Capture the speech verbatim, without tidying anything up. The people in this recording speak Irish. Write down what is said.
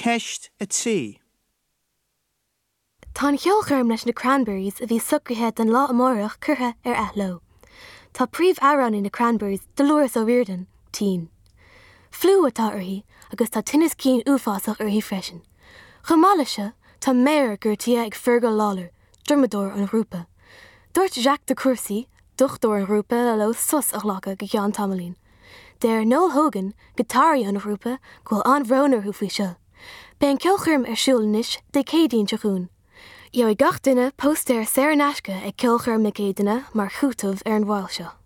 Ceist a trí. Tá an cheolchoirm leis na Cranberries a bhí socraithe don lá amárach curtha ar athló. Tá príomhamhránaí na Cranberries Dolores O'Riordan, tinn. Fliú atá uirthi agus tá tinneas cinn uafásach uirthi freisin. Chomh maith leis seo tá méar gortaithe ag Fergal Lawler, drumadóir an ghrúpa. Dúirt Jacques de Courcy, dochtúir an ghrúpa leo sos a ghlacadh go ceann tamaillín. Deir Noel Hogan giotáraí an ghrúpa go bhfuil an-bhrón orthu faoi seo. Beidh an cheolchoirm ar siúl anois Dé Céadaoin seo chugainn. Gheobhaidh gach duine póstaer saor in aisce ag ceolchoirm na Céadaoine mar chúiteamh ar an mhoill seo.